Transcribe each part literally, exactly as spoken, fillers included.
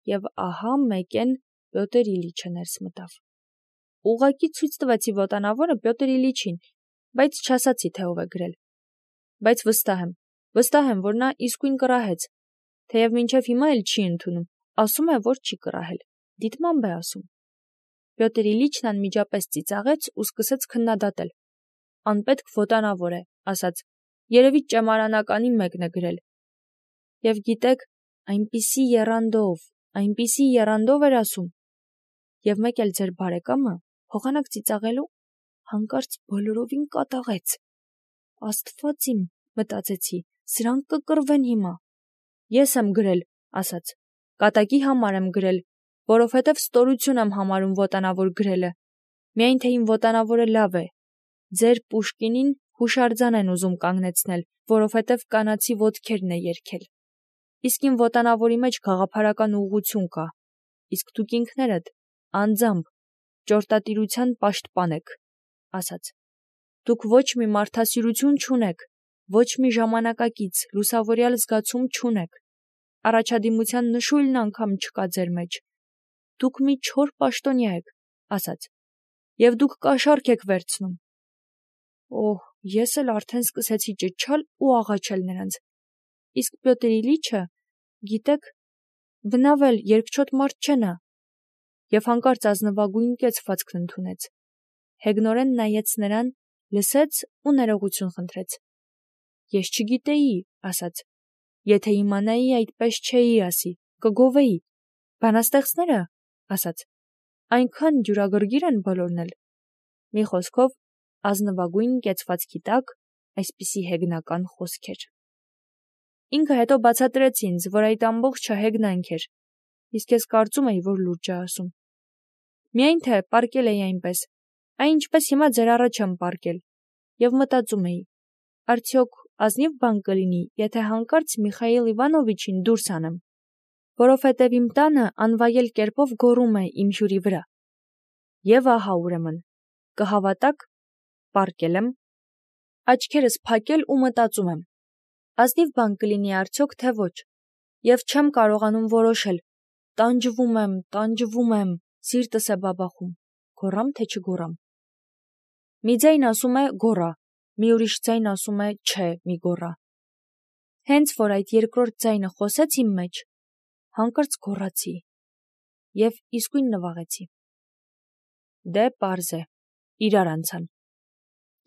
և ահա մեկեն Պյոտր Իլիչը ներս մտավ։ Ուղղակի ցույց տվեցի ոտանավորը Պյոտր Իլիչին, բայց չասացի, թե ով է գրել։ Բայց վստահ եմ, վստահ եմ, որ նա իսկույն կռահեց, թեև մինչև հիմա էլ չի ընդունում, ասում է, որ չի կռահել, դիտմամբ է ասում։ Պյոտր Իլիչն անմիջապես ծիծաղեց ու սկսեց քննադատել։ Անպետք ոտանավոր է, ասաց, երևի ճեմարանականի մեկն է գրել։ Եվ գիտեք, այնպիսի եռանդով, այնպիսի եռանդով էր ասում։ Եվ մեկ էլ ձեր բարեկամը, փոխանակ ծիծաղելու, հանկարծ բոլորովին կատաղեց։ Աստված իմ, մտածեցի, սրանք կկռվեն հիմա։ Ես եմ գրել, ասաց, կատակի համար եմ գրել, որովհետև ստորություն եմ համարում ոտանավոր գրելը, միայն թե իմ ոտանավորը լավ է։ Ձեր Պուշկինին հուշարձան են ուզում կանգնեցնել, որովհետև կանացի ոտքերն է երգել։ Իսկ իմ ոտանավորի մեջ գաղափարական ուղղություն կա, իսկ դուք ինքներդ անձամբ ճորտատիրության պաշտպան եք, ասաց։ Դուք ոչ մի մարդասիրություն չունեք, ոչ մի ժամանակակից, լուսավորյալ զգացում չունեք, առաջադիմության նշույլն անգամ չկա ձեր մեջ։ Դուք մի չոր պաշտոնյա եք, ասաց, և դուք կաշառք եք վերցնում։ Օհ, ես էլ արդեն սկսեցի ճչալ ու աղաչել նրանց։ Իսկ Պյոտր Իլիչը, գիտեք, բնավ էլ երկչոտ մարդ չէ նա։ Եվ հանկարծ ազնվագույն կեցվածքն ընդունեց։ Հեգնորեն նայեց նրան, լսեց ու ներողություն խնդրեց։ Ես չգիտեի, ասաց, եթե իմանայի, այդպես չէի ասի, կգովեի։ Բանաստեղծները, ասաց, այնքան ջուրագրգիռ են բոլորն էլ։ Մի խոսքով, ազնվագույն կեցվածքի տակ այսպիսի հեգնական խոսքեր։ Ինքը հետո բացատրեց ինձ, որ այդ ամբողջը հեգնանք էր, իսկ ես կարծում էի, որ լուրջ է ասում։ Միայն թե պառկել էի այնպես, այն ինչպես հիմա ձեր առաջ եմ պառկել, և մտածում էի, արդյոք ազնիվ բան կլինի, եթե հանկարծ Միխայիլ Իվանովիչին դուրս անեմ, որովհետև իմ տանը անվայել կերպով գոռում է իմ հյուրի վրա։ Եվ ահա ուրեմն, կհավատաք, պառկել եմ, աչքերս փակել ու մտածում եմ, ազնիվ բան կլինի արդյոք, թե ոչ, և չեմ կարողանում որոշել, տանջվում եմ, տանջվում եմ, սիրտս է բաբախում, գոռամ, թե չգոռամ։ Մի ձայն ասում է գոռա, մի ուրիշ ձայն ասում է չէ, մի գոռա։ Հենց որ այդ երկրորդ ձայնը խոսեց իմ մեջ, հանկարծ գոռացի և իսկույն նվաղեցի։ Դե պարզ է, իրար անցան։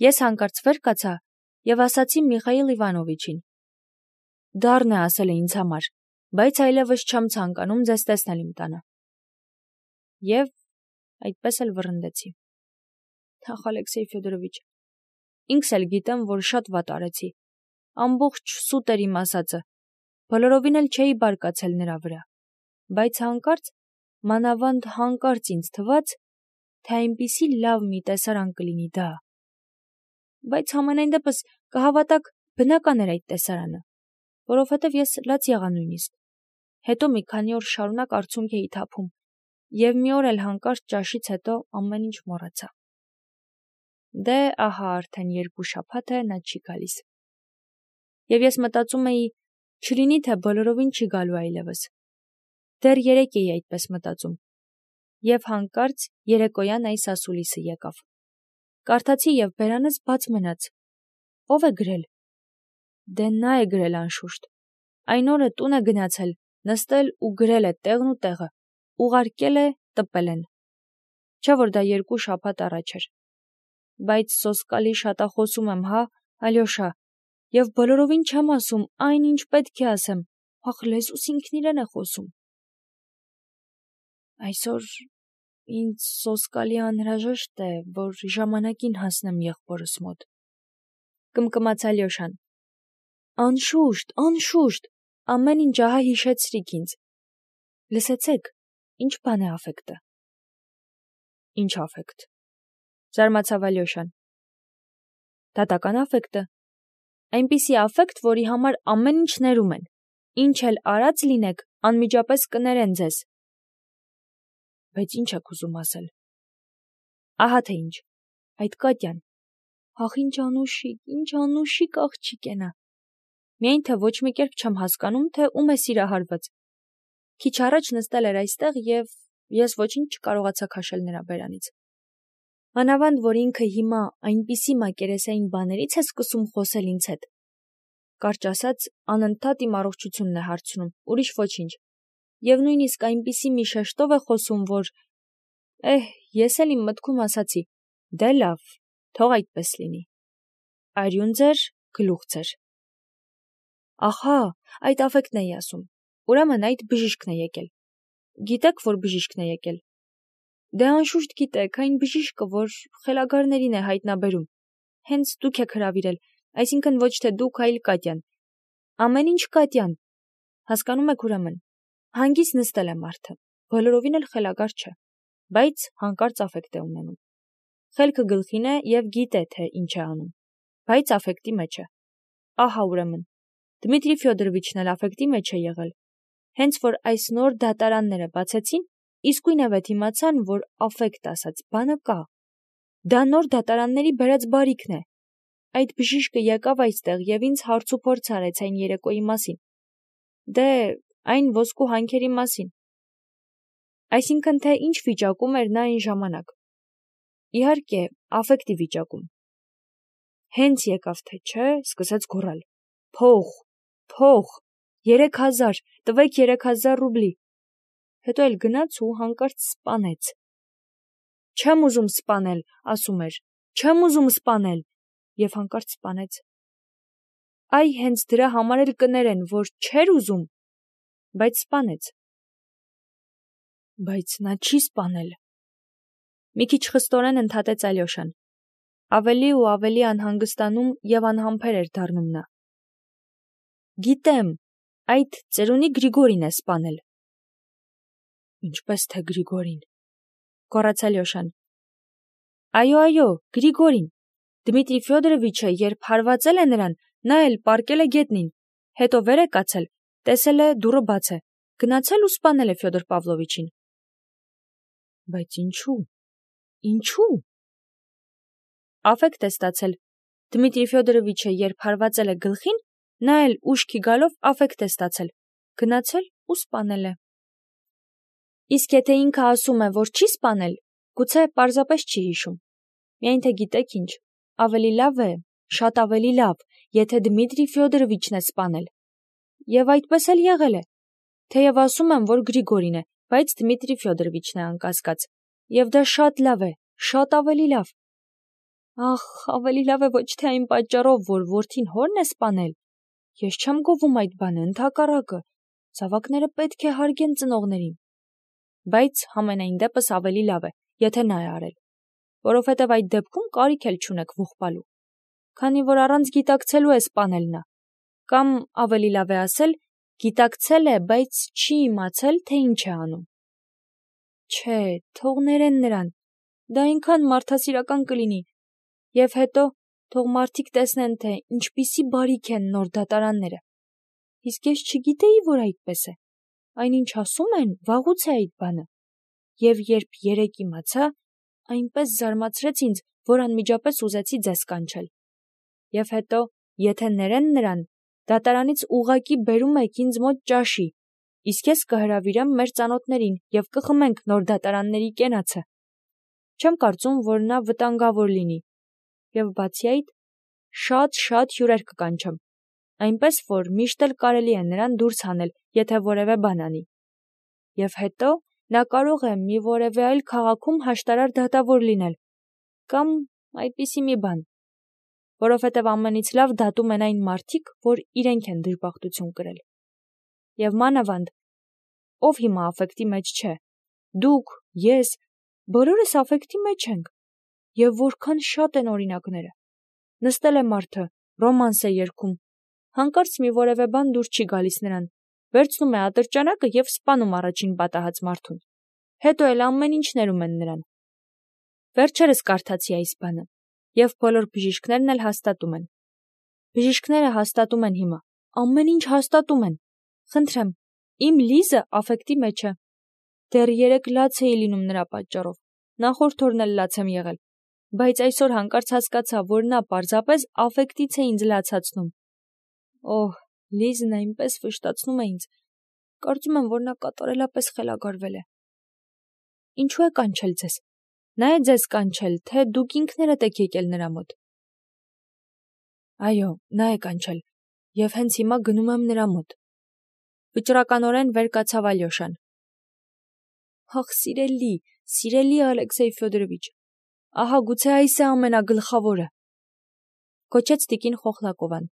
Ես հանկարծ վեր կացա և ասացի Միխայիլ Իվանովիչին. Դառն է ասել է ինձ համար, բայց այլևս չեմ ցանկանում ձեզ տեսնել իմ տանը։ Եվ այդպես էլ վռնդեցի։ Ախ, Ալեքսեյ Ֆյոդորովիչ, ինքս էլ գիտեմ, որ շատ վատ արեցի։ Ամբողջ սուտ էր իմ ասածը, բոլորովին էլ չէի բարկացել նրա վրա, բայց հանկարծ, մանավանդ հանկարծ ինձ թվաց, թե այնպիսի լավ մի տեսարան կլինի դա։ Բայց համենայն դեպս կհավատաք, բնական էր այդ տեսարանը, որովհետև ես լաց եղա նույնիսկ։ Հետո մի քանի օր շարունակ արցունք էի թափում, և մի օր էլ հանկարծ ճաշից հետո ամեն ինչ մոռացա։ Դե ահա արդեն երկու շաբաթ է նա չի գալիս։ Եվ ես մտածում էի, չլինի թե բոլորովին չի գալու այլևս։ Դեռ երեկ էի այդպես մտածում։ Եվ հանկարծ երեկոյան այս ասուլիսը եկավ։ Կարդացի և բերանս բաց մնաց։ Ո՞վ է գրել։ Դե նա է գրել անշուշտ։ Այն օրը տուն է գնացել, նստել ու գրել է տեղն ու տեղը, ուղարկել է, տպել են։ Չէ՞ որ դա երկու շաբաթ առաջ էր։ Բայց սոսկալի շատախոսում եմ, հա, Ալյոշա, և բոլորովին չեմ ասում այն, ինչ պետք է ասեմ, ախ, լեզուս ինքն իրեն է խոսում։ Այսօր ինձ սոսկալի անհրաժեշտ է, որ ժամանակին հասնեմ եղբորս մոտ։ Կմկմաց Ալյոշան։ Անշուշտ, անշուշտ, ամեն ինչ ահա հիշեցրիք ինձ։ Լսեցեք, ինչ բան է աֆեկտը։ Ինչ աֆեկտ։ Զարմացավ Ալյոշան։ Դատական աֆեկտը։ Այնպիսի աֆեկտ, որի համար ամեն ինչ ներում են։ Ինչ էլ արած լինեք, անմիջապես կներեն ձեզ։ Բայց ինչ եք ուզում ասել։ Ահա թե ինչ։ Այդ Կատյան։ Ախ, ինչ անուշիկ, ինչ անուշիկ աղջիկ է նա։ Միայն թե ոչ մի կերպ չեմ հասկանում, թե ում է սիրահարված։ Քիչ առաջ նստել էր այստեղ եւ ես ոչինչ չկարողացա քաշել նրա բերանից։ Մանավանդ, որ ինքը հիմա այնպիսի մակերեսային բաներից է սկսում խոսել ինձ հետ։ Կարճ ասած, անընդհատ իմ առողջությունն է հարցնում, ուրիշ ոչինչ։ Եվ նույնիսկ այնպիսի մի շեշտով է խոսում, որ Էհ, ես էլ իմ մտքում ասացի. դե լավ, թող այդպես լինի։ Արյուն ձեր, գլուխ ձեր։ Ահա, այդ աֆեկտն էի ասում։ Ուրեմն այդ բժիշկն է եկել։ Գիտեք, որ բժիշկն է եկել։ Դե անշուշտ գիտեք, այն բժիշկը, որ խելագարներին է հայտնաբերում։ Հենց դուք եք հրավիրել, այսինքն ոչ թե դուք, այլ Կատյան։ Ամեն ինչ Կատյան։ Հասկանում եք ուրեմն։ Հանգիստ նստել է մարդը, բոլորովին էլ խելագար չէ, բայց հանկարծ աֆեկտ է ունենում։ Խելքը գլխին է եւ գիտե, թե ինչ է անում, բայց աֆեկտի մեջ է։ Ահա ուրեմն։ Դմիտրի Ֆյոդորովիչն էլ աֆեկտի մեջ է եղել։ Հենց որ այս նոր դատարանները բացեցին, իսկույնավետ իմացան, որ աֆեկտ ասած բանը կա։ Դա նոր դատարանների բերած բարիքն է։ Այդ բժիշկը եկավ այստեղ եւ ինձ հարց ու փորձ արեց այն երեկոյի մասին։ Դե, այն ոսկու հանքերի մասին։ Այսինքն, թե ինչ վիճակում էր նա այն ժամանակ։ Իհարկե, աֆեկտի վիճակում։ Հենց եկավ, թե չէ, սկսեց գոռալ. Փող, փող, երեք հազար, տվեք երեք հազար ռուբլի։ Հետո էլ գնաց ու հանկարծ սպանեց։ Չեմ ուզում սպանել, ասում էր, չեմ ուզում սպանել, եւ հանկարծ սպանեց։ Այ հենց դրա համար էլ կներեն, որ չէր ուզում, բայց սպանեց։ Բայց նա չի սպանել։ Մի քիչ խստորեն ընդհատեց Ալյոշան։ Ավելի ու ավելի անհանգստանում եւ անհամբեր էր դառնում նա։ Գիտեմ, այդ ծերունի Գրիգորին է սպանել։ Ինչպես թե Գրիգորին, գոռաց Ալյոշան։ Այո, այո, Գրիգորին։ Դմիտրի Ֆյոդորովիչը երբ հարվածել է նրան, նա էլ պառկել է գետնին, հետո վեր է կացել, տեսել է դուռը բաց է, գնացել ու սպանել է Ֆյոդոր Պավլովիչին։ Բայց ինչու՞։ Ինչու՞։ Աֆեկտ է ստացել։ Դմիտրի Ֆյոդորովիչը երբ հարվածել է գլխին, նա էլ ուշքի գալով աֆեկտ է ստացել, գնացել ու սպանել է։ Իսկ եթե ինքը ասում է, որ չի սպանել, գուցե պարզապես չի հիշում։ Միայն թե գիտեք ինչ, ավելի լավ է, շատ ավելի լավ, եթե Դմիտրի Ֆյոդորովիչն է սպանել։ Եվ այդպես էլ եղել է։ Թեև ասում եմ, որ Գրիգորին է, բայց Դմիտրի Ֆյոդորովիչն է անկասկած։ Եվ դա շատ լավ է, շատ ավելի լավ։ Ախ, ավելի լավ է ոչ թե այն պատճառով, որ որդին հորն է սպանել։ Ես չեմ գովում այդ բանը, ընդհակառակը, զավակները պետք է հարգեն ծնողներին։ Բայց համենայն դեպս ավելի լավ է, եթե նա է արել, որովհետև այդ դեպքում կարիք էլ չունեք ողբալու, քանի որ առանց գիտակցելու է սպանել նա, կամ ավելի լավ է ասել, գիտակցել է, բայց չի իմացել, թե ինչ է անում։ Չէ, թող ներեն նրան, դա այնքան մարդասիրական կլինի, եւ հետո թող մարդիկ տեսնեն, թե ինչպիսի բարիք են նոր դատարանները։ Իսկ ես չգիտեի, որ այդպես է։ Այնինչ ասում են, վաղուց է այդ բանը։ Եվ երբ երեկ իմացա, այնպես զարմացրեց ինձ, որ անմիջապես ուզեցի ձեզ կանչել։ Եվ հետո, եթե ներեն նրան, դատարանից ուղղակի բերում եք ինձ մոտ ճաշի, իսկ ես կհրավիրեմ մեր ծանոթներին եւ կխմենք նոր դատարանների կենացը։ Չեմ կարծում, որ նա վտանգավոր լինի։ Եվ բացի այդ, շատ-շատ հյուրեր կկանչեմ, այնպես որ միշտ էլ կարելի է նրան դուրս հանել, եթե որևէ բան անի։ Եվ հետո նա կարող է մի որևէ այլ քաղաքում հաշտարար դատավոր լինել, կամ այդպիսի մի բան, որովհետև ամենից լավ դատում են այն մարդիկ, որ իրենք են դժբախտություն կրել։ Եվ մանավանդ, ով հիմա աֆեկտի մեջ չէ, դուք, ես, բոլորս աֆեկտի մեջ ենք, եւ որքան շատ են օրինակները։ Նստել է մարդը, ռոմանս է երգում, հանկարծ մի որևէ բան դուր չի գալիս նրան, վերցնում է ատրճանակը եւ սպանում առաջին պատահած մարդուն։ Հետո էլ ամեն ինչ ներում են նրան։ Վերջերս կարդացի այս բանը, եւ բոլոր բժիշկներն էլ հաստատում են։ Բժիշկները հաստատում են հիմա, ամեն ինչ հաստատում են։ Խնդրեմ, իմ Լիզը աֆեկտի մեջ է։ Դեռ երեք լաց էի լինում նրա պատճառով, նախորդ օրն էլ լաց եմ եղել, բայց այսօր հանկարծ հասկացա, որ նա պարզապես աֆեկտից է ինձ լացացնում։ Օհ, Լիզն այնպես վշտացնում է ինձ, Կարծում եմ, որ նա կատարելապես խելագարվել է։ Ինչու է կանչել ձեզ։ Նա է ձեզ կանչել, թե դուք ինքներդ եք եկել նրա մոտ։ Այո, նա է կանչել, եւ հենց հիմա գնում եմ նրա մոտ։ Վճռականորեն վեր կացավ Ալյոշան։ Ախ, սիրելի, սիրելի Ալեքսեյ Ֆյոդորովիչ, ահա գուցե այս է ամենագլխավորը։ Կոչեց տիկին Խոխլակովան,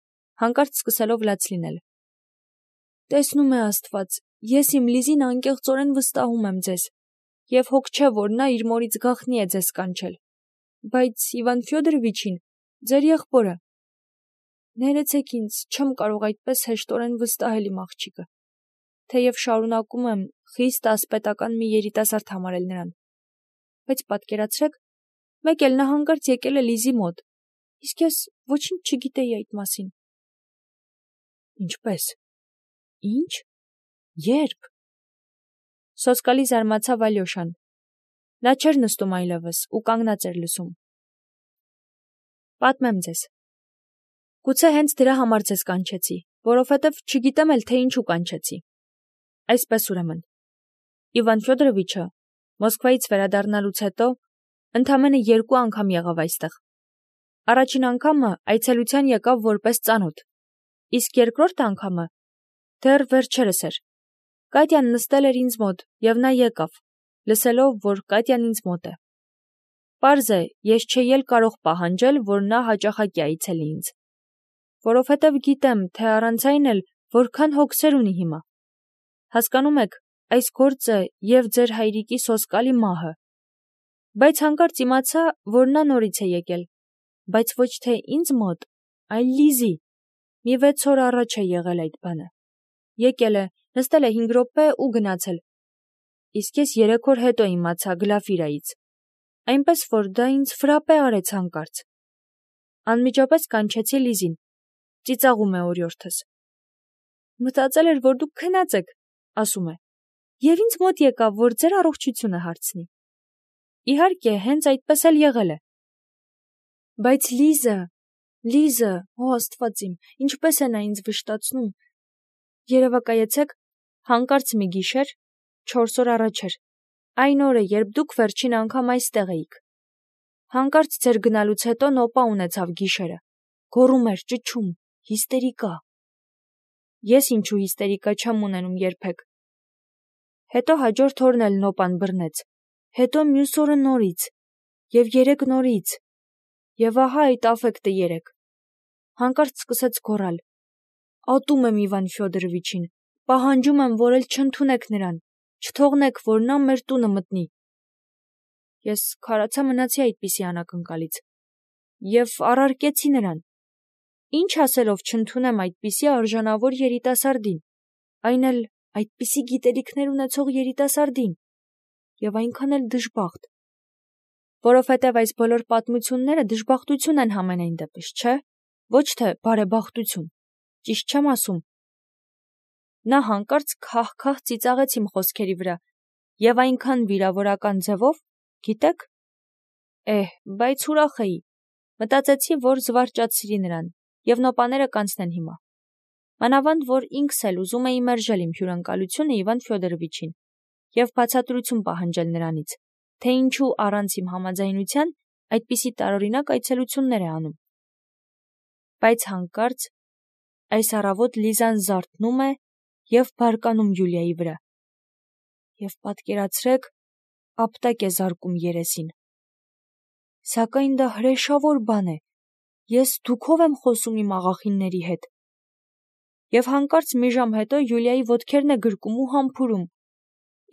հանկարծ սկսելով լաց լինել։ Տեսնում է Աստված, ես իմ Լիզին անկեղծորեն վստահում եմ ձեզ, եւ հոգ չէ, որ նա իր մորից գաղտնի է ձեզ կանչել։ Բայց Իվան Ֆյոդորովիչին, ձեր եղբորը։ Ներեցեք ինձ, չեմ կարող այդպես հեշտորեն վստահել իմ աղջիկը, թեև շարունակում եմ խիստ ասպետական մի երիտասարդ համարել նրան։ Բայց պատկերացրեք, մեկ էլ նա հանկարծ եկել է Լիզի մոտ, իսկ ես ոչինչ չգիտեի այդ մասին։ Ինչպե՞ս։ Ինչ։ Երբ։ Սոսկալի զարմացավ Ալյոշան։ Նա չէր նստում այլևս ու կանգնած էր լսում։ Պատմեմ ձեզ։ Գուցե հենց դրա համար ձեզ կանչեցի, որովհետև չգիտեմ էլ թե ինչու կանչեցի։ Այսպես ուրեմն, Իվան Ֆյոդորովիչը Մոսկվայից վերադառնալուց հետո ընդամենը երկու անգամ եղավ այստեղ։ Առաջին անգամը այցելության եկավ որպես ծանոթ, իսկ երկրորդ անգամը դեռ վերջերս էր։ Կատյան նստել էր ինձ մոտ, եւ նա եկավ, լսելով, որ Կատյան ինձ մոտ է։ Պարզ է, ես չէի էլ կարող պահանջել, որ նա հաճախակի այցելի ինձ, որովհետև գիտեմ, թե առանց այն էլ որքան հոգսեր ունի հիմա։ Հասկանում եք, այս գործը եւ ձեր հայրիկի սոսկալի մահը։ Բայց հանկարծ իմացա, որ նա նորից է եկել, բայց ոչ թե ինձ մոտ, այլ Լիզի։ Մի վեց օր առաջ է եղել այդ բանը։ Եկել է, նստել է հինգ րոպե ու գնացել։ Իսկ ես երեք օր հետո իմացա Գլաֆիրայից։ Այնպես որ դա ինձ ֆրապե արեց հանկարծ։ Անմիջապես կանչեցի Լիզին։ Ծիծաղում է օրիորդս։ Մտածել էր, որ դուք քնած եք, ասում է։ Եվ ինձ մոտ եկավ, որ ձեր առողջությունը հարցնի։ Իհարկե, հենց այդպես էլ եղել է։ Բայց Լիզը, Լիզը, օ Աստված իմ, ինչպես է նա ինձ վշտացնում։ Երևակայեցեք, հանկարծ մի գիշեր, չորս օր առաջ էր, այն օրը, երբ դուք վերջին անգամ այստեղ էիք։ Հանկարծ ձեր գնալուց հետո նոպա ունեցավ գիշերը, գոռում էր, ճչում, հիստերիկա։ Ես ինչու հիստերիկա չեմ ունենում երբեք։ Հետո հաջորդ օրն էլ նոպան բռնեց, հետո մյուս օրը նորից, եւ երեք նորից, եւ ահա այդ աֆեկտը երեք։ Հանկարծ սկսեց գոռալ. Ատում եմ Իվան Ֆյոդորովիչին, պահանջում եմ, որ էլ չընդունեք նրան, չթողնեք, որ նա մեր տունը մտնի։ Ես քարացա մնացի այդպիսի անակնկալից եւ առարկեցի նրան։ Ինչ ասելով չընդունեմ այդպիսի արժանավոր երիտասարդին, այն էլ այդպիսի գիտելիքներ ունեցող երիտասարդին, եւ այնքան էլ դժբախտ։ Որովհետև այս բոլոր պատմությունները դժբախտություն են համենայն դեպս, չէ՞, ոչ թե բարեբախտություն։ Ճիշտ չեմ ասում։ Նա հանկարծ քահ-քահ ծիծաղեց իմ խոսքերի վրա եւ այնքան վիրավորական ձևով, գիտեք։ Էհ, բայց ուրախ էի։ Մտածեցի, որ զվարճացրի նրան եւ նոպաները կանցնեն հիմա։ Մանավանդ որ ինքս էլ ուզում էի մերժել իմ հյուրընկալությունը Իվան Ֆյոդորովիչին եւ բացատրություն պահանջել նրանից, թե ինչու առանց իմ համաձայնության այդպիսի տարօրինակ այցելություններ է անում։ Բայց հանկարծ այս առավոտ Լիզան զարթնում է եւ բարկանում Յուլիայի վրա։ Եվ պատկերացրեք, ապտակ է զարկում երեսին։ Սակայն դա հրեշավոր բան է։ Ես դուքով եմ խոսում իմ աղախինների հետ։ Եվ հանկարծ մի ժամ հետո Յուլիայի ոտքերն է գրկում ու համբուրում։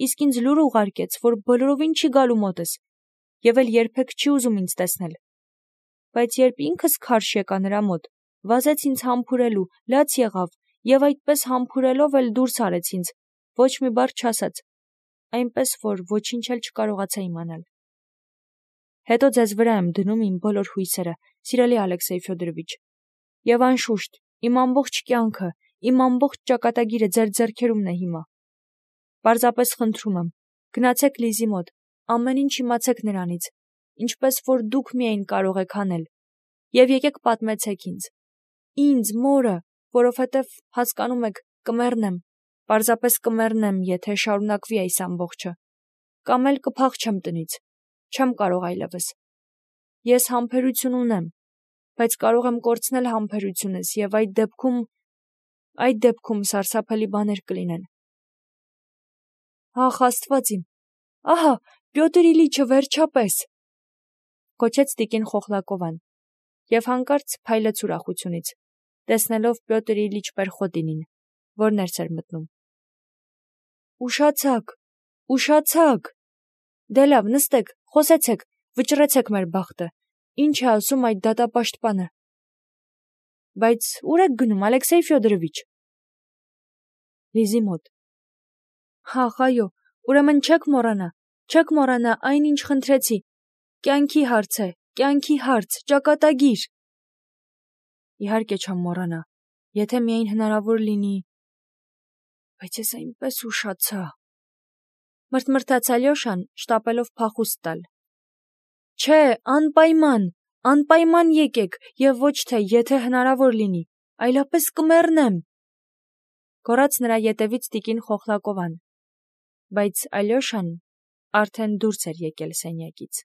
Իսկ ինձ լուր ուղարկեց, որ բոլորովին չի գալու մոտս, եւ էլ երբեք չի ուզում ինձ տեսնել։ Բայց երբ ինքս քարշ եկա նրա մոտ, վազեց ինձ համբուրելու, լաց եղավ, եւ այդպես համբուրելով էլ դուրս արեց ինձ, ոչ մի բառ չասաց, այնպես որ ոչինչ էլ չկարողացա իմանալ։ Հետո ձեզ վրա եմ դնում իմ բոլոր հույսերը, սիրելի Ալեքսեյ Ֆյոդորովիչ, եւ անշուշտ, իմ ամբողջ կյանքը, իմ ամբողջ ճակատագիրը ձեր ձեռքերումն է հիմա։ Պարզապես խնդրում եմ, գնացեք Լիզի մոտ, ամեն ինչ իմացեք նրանից, ինչպես որ դուք միայն կարող եք անել, եւ եկեք պատմեցեք ինձ, ինձ, մորը, որովհետև հասկանում եք, կմեռնեմ, Պարզապես կմեռնեմ, եթե շարունակվի այս ամբողջը, կամ էլ կփախչեմ տնից, չեմ կարող այլևս։ Ես համբերություն ունեմ, բայց կարող եմ կորցնել համբերությունս և այդ դեպքում, այդ դեպքում սարսափելի բաներ կլինեն։ Ախ, Աստված իմ, ահա, Պյոտր Իլիչը վերջապես, կոչեց տիկին Խոխլակովան, և հանկարծ փայլեց ուրախությունից, տեսնելով Պյոտր Իլիչ Պերխոտինին, որ ներս էր մտնում։ Ուշացաք, ուշացաք, դե լավ, նստեք, խոսեցեք, վճռեցեք մեր բախտը, ինչ է ասում այդ դատապաշտպանը։ Բայց ուր եք գնում, Ալեքսեյ Ֆյոդորովիչ։ Լիզի մոտ։ Ահ, այո, ուրեմն չեք մոռանա, չեք մոռանա այն, ինչ խնդրեցի, կյանքի հարց է, կյանքի հարց, ճակատագիր։ Իհարկե չեմ մոռանա, եթե միայն հնարավոր լինի։ Բայց ես այնպես ուշացա։ Մրթմրթաց Ալյոշան, շտապելով փախուստ տալ։ Չէ, անպայման, անպայման եկեք, և ոչ թե եթե հնարավոր լինի, այլապես կմեռնեմ։ Գոռաց նրա ետևից տիկին Խոխլակովան, բայց Ալյոշան արդեն դուրս էր եկել սենյակից։